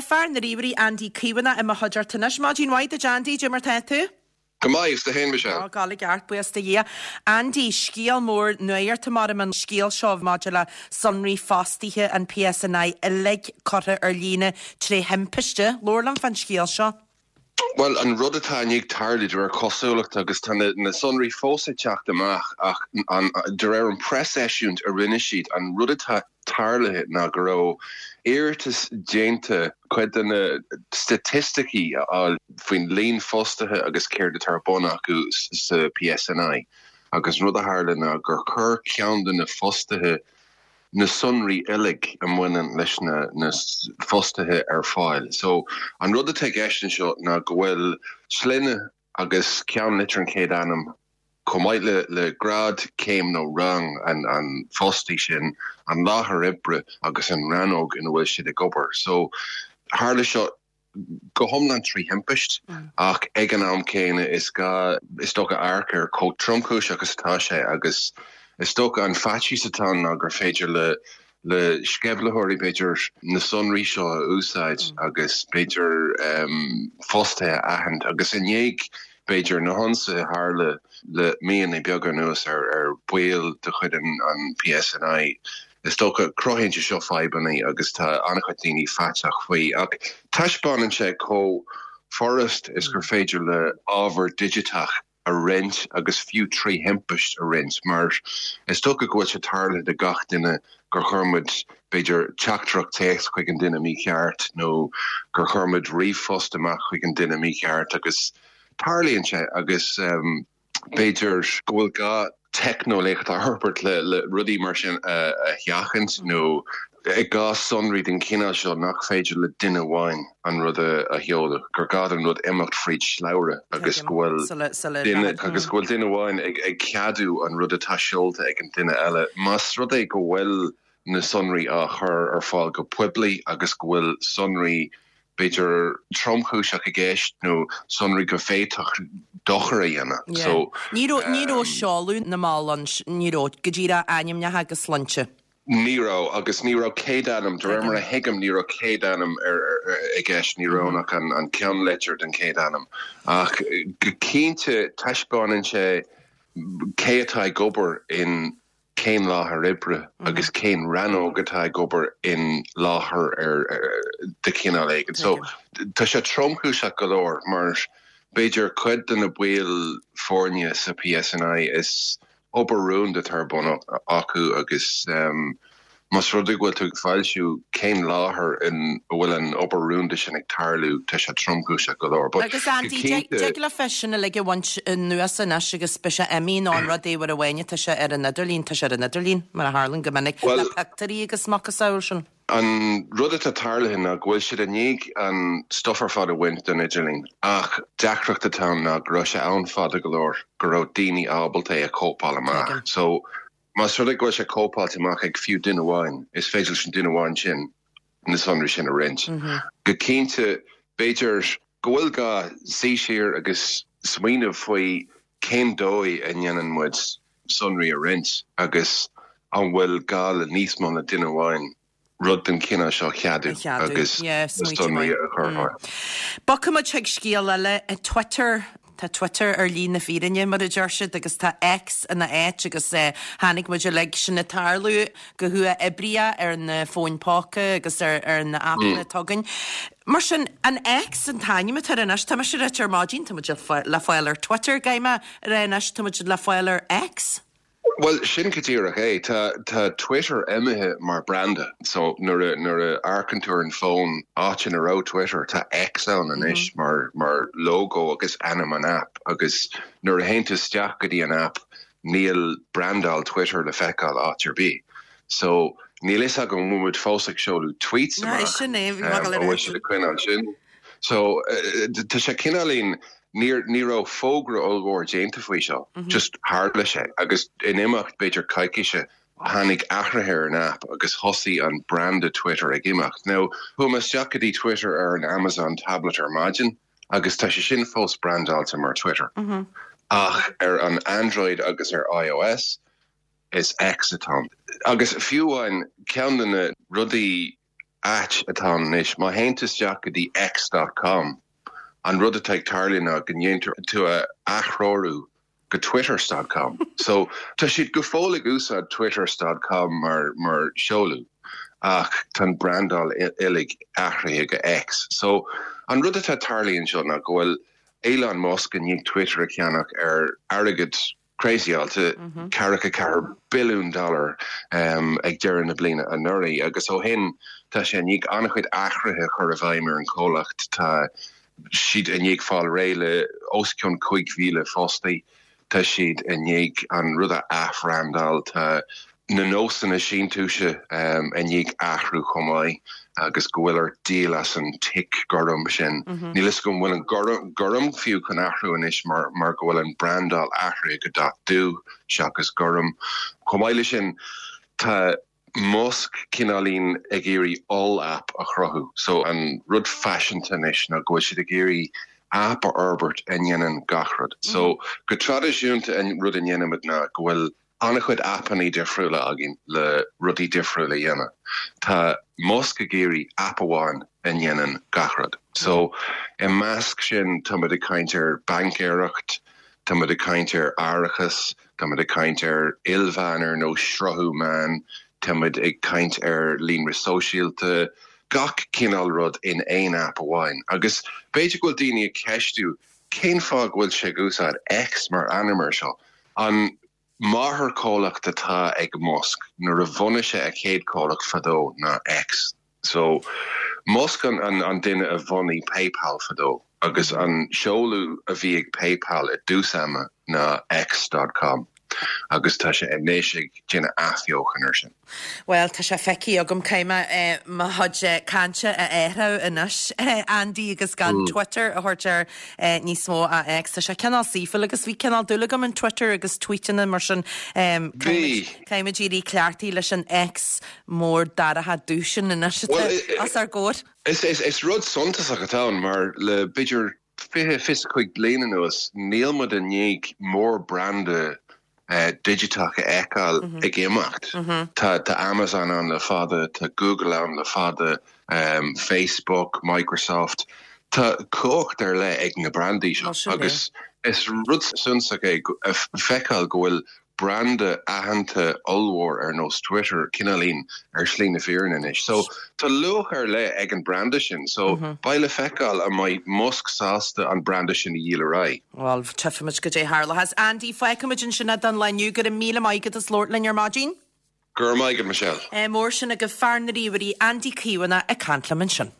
fear na ríomhairí Andy Caomhánach i mo chuideachta anois. Maidin mhaith duit Andy, cad é mar tá tú? Go maith, agus tú féin, Michelle? Á, ag gabháil i gceart, buíochas do Dhia. Andy, scéal mór nuachta mar an scéal seo maidir le sonraí fostaithe an PSNI uilig curtha ar líne tré thimpiste. Labhair liom fán scéal seo. Bhuel, an rud atá i ndiaidh tarlú, de réir cosúlachta, agus tá na sonraí fós ag teacht amach, ach de réir an preaseisiúint a rinne siad, an rud atá tarlaithe ná go raibh iarratas déanta cuid de na staitisticí a fháil faoin líon fostaithe agus céard atá ar bun acu sa PSNI agus an rud a tharla ná gur chuir ceann de na fostaithe na sonraí uilig a mbaineann leis na fostaithe ar fáil. So an rud atá i gceist anseo ná go bhfuil sloinne agus ceannlitir an chéad ainm chomh maith le le grád, céim nó rang an fostaí sin, an láthair oibre agus an rannóg ina bhfuil siad ag obair. So tharla seo go hiomlán trí thimpist ach ag an am céanna is gá is dócha amharc ar chomh tromchúiseach is atá sé agus is dócha an faitíos atá ann ná gur féidir le le sceimhlitheoirí b'fhéidir na sonraí seo a úsáid agus b'fhéidir fostaithe a aithint agus i ndiaidh b'fhéidir na hionsaithe a tharla le míonna beaga anuas ar bhaill de chuid an PSNI is dócha cruthaíonn sé seo fadhbanna agus tá an-chuid daoine faiteach faoi ach taispeánann sé chomh furast is gur féidir le ábhar digiteach a roinnt agus fiú trí thimpist a roinnt mar is dócha go bhfuil sé tarlaithe do gach duine gur chuir muid, b'fhéidir, teachtaireacht téacs chuig an duine mícheart nó gur chuir muid ríomhphost amach chuig an duine mícheart agus tarlaíonn sé agus b'fhéidir go bhfuil gá teicneolaíocht a fhorbairt le rudaí mar sin a sheachaint nó i gcás sonraí den chineál seo nach féidir le duine amháin an rud a sheoladh, gur gá don rud imeacht fríd shlabhra agus go bhfuil duine agus go bhfuil duine amháin ag ceadú an rud atá seolta ag an duine eile. Más rud é go bhfuil na sonraí á chur ar fáil go poiblí agus go bhfuil sonraí b'fhéidir tromchúiseach i gceist nó sonraí go bhféadfadh dochar a dhéanamh. So. Ní raibh, ní raibh seoladh na mball ann, ní raibh, go díreach ainmneacha agus sloinnte. Ní raibh, agus ní raibh céadainm, de réir mar a thuigim, ní raibh céadainm i gceist, ní raibh ann ach an ceannlitir den chéad ainm. Ach go cinnte taispeánann sé cé atá ag obair in cén láthair oibre agus cén rannóg atá ag obair in láthair ar de chineál éigin. So tá sé tromchúiseach go leor mar b'fhéidir cuid de na baill foirne sa PSNI is obair rúnda atá ar bun acu agus más rud é go bhfuil tú ag foilsiú cén láthair in a bhfuil an obair rúnda sin ag tarlú, tá sé tromchúiseach go leor. But Agus Andy, dtig leofa sin uilig a bhaint anuas anois agus beidh sé imithe nó an rud é uair amháin atá sé ar an idirlíon, tá sé ar an idirlíon, mar a tharlaíonn go minic le pictiúirí agus macasamhail sin. An rud atá tarlaithe ná go bhfuil siad i ndiaidh an stuif ar fad a bhaint den idirlíon ach deacracht atá ann ná go raibh sé ann fada go leor go raibh daoine ábalta é a chóipeáil amach. So más rud é go bhfuil sé cóipeáilte amach ag fiú duine amháin, is féidir leis an duine amháin sin na sonraí sin a roinnt. Go cinnte, b'fhéidir go bhfuil gá suí siar agus smaoineamh faoi cén dóigh a ndéanann muid sonraí a roinnt agus an bhfuil gá le níos mó ná duine amháin rud den chineál seo a cheadú agus na sonraí a chur ar fáil. Bogfaidh muid chuig scéal eile, Twitter. Tá Twitter ar shlí na fírinne, mar a deir siad, agus tá X ina áit agus chonaic muid uilig sin ag tarlú go huathoibríoch ar na fóin póca agus ar na aipeanna atá againn. Mar sin, an X an t-ainm atá air anois, tá mise ag ráit ar maidin, tá muid le fáil ar Twitter, caithfidh mé a rá anois, tá muid le fáil ar X. Bhuel, sin go díreach é. Tá, tá Twitter imithe mar branda. So, nuair a, nuair a amharcann tú ar an bhfón, áit ina raibh Twitter, tá X ann anois mar, mar logo agus ainm an aip. Agus nuair a théann tú isteach go dtí an aip, níl brandáil Twitter le feiceáil áit ar bith. So, níl fhios agam an bhfuil muid fós ag seoladh tweets amach, Sin é, bhí mé ag dul a rá sin. An bhfuil siad ag coinneáil sin? So, tá sé cineáilín, níor, ní raibh fógra ollmhór déanta faoi seo, just tharla sé agus in imeacht b'fhéidir coicíse tháinig athruithe ar an aip agus thosaigh an branda Twitter ag imeacht. Now, chuaigh mé isteach go dtí Twitter ar an Amazon tablet ar maidin agus tá sé sin fós brandáilte mar Twitter. Ach ar an Android agus ar iOS, is X atá ann. Agus fiú amháin, ceann de na rudaí. Ait atá ann anois, má théann tú isteach go dtí X dot com, an rud atá ag tarlú ná go ndéantar tú a aththreorú go Twitters dot com. So, tá siad go fóill ag úsáid Twitters dot com mar mar seoladh ach tá an brandáil uilig athraithe go X. So, an rud atá tarlaithe anseo ná go bhfuil Elon Musk i ndiaidh Twitter a cheannach ar airgead crazyáilte, 44 billiún dollar ag deireadh na bliana anuraidh agus ó shin tá sé i ndiaidh an-chuid athruithe a chur i bhfeidhm ar an chomhlacht. Tá siad i ndiaidh fáil réidh le os cionn 5,000 fostaí, tá siad i ndiaidh an rud a athbhrandáil, tá na nósanna síntiúise i ndiaidh athrú chomh maith agus go bhfuil ort díol as an tic gorm sin. Níl fhios agam an bhfuil an gorm fiú chun athrú anois mar mar go bhfuil an brandáil athraithe go dath dubh seachas gorm. Chomh maith leis sin tá Musk cineáilín ag iarraidh oll-app a chruthú. So an rud faiseanta anois ná go bhfuil siad ag iarraidh app a fhorbairt a ndéanann gach rud. So go traidisiúnta an rud a ndéanaimid ná go bhfuil an-chuid aipeanna difriúla againn le rudaí difriúla a dhéanamh. Tá Musk ag iarraidh aip amháin a ndéanann gach rud. So, i measc sin, táimid ag caint ar baincéireacht, táimid ag caint ar árachas, táimid ag caint ar ilmheán ar nós sruthú meán, táimid ag caint ar líonra sóisialta, gach cineál rud in aon aip amháin. Agus b'fhéidir go bhfuil daoine ag ceistiú cén fáth go bhfuil sé ag úsáid X mar ainm air seo. An máthairchomhlacht atá ag Musk nuair a bhunaigh sé a chéad chomhlacht fadó ná X. So, Musk an an duine a bhunaigh PayPal fadó agus an seoladh a bhí ag PayPal i dtús ama ná X dot com agus tá sé anois ag déanamh athbheochan ar sin. Bhuel, tá sé feicthe agam, caithfidh mé mo chuid cainte a athrú anois, Andy, agus gan Twitter a thabhairt air níos mó ach X. Tá sé cineál saoithiúil agus bhí cineál dúil agam in Twitter agus tweetanna mar sin. Bhí. Caithfidh muid éirí cleachtaithe leis an X mór dorcha dubh sin anois atá os ár gcomhair. Is rud suntasach atá ann mar le b'fhéidir 20, 25 bliain anuas níl muid i ndiaidh mór-branda digiteach a fheiceáil ag imeacht. Tá Amazon ann le fada, tá Google ann le fada, Facebook, Microsoft. Tá cumhacht ar leith ag na brandaí seo agus is rud suntasach é a feiceáil go bhfuil branda aitheanta ollmhór ar nós Twitter cineáilín ar shlí na fírinne anois. So tá luach ar leith ag an branda sin. So beidh le feiceáil an mbeidh Musk sásta an branda sin a dhíol ar aghaidh. Bhuel, tchífimid goidé a tharlóchas. Andy, fágfaimid ansin é don lá inniu. Go raibh míle maith agat as labhairt linn ar maidin. Go raibh maith agat, Michelle. Mór sin agaibh fear na ríomhairí, Andy Caomhánach ag caint liom ansin.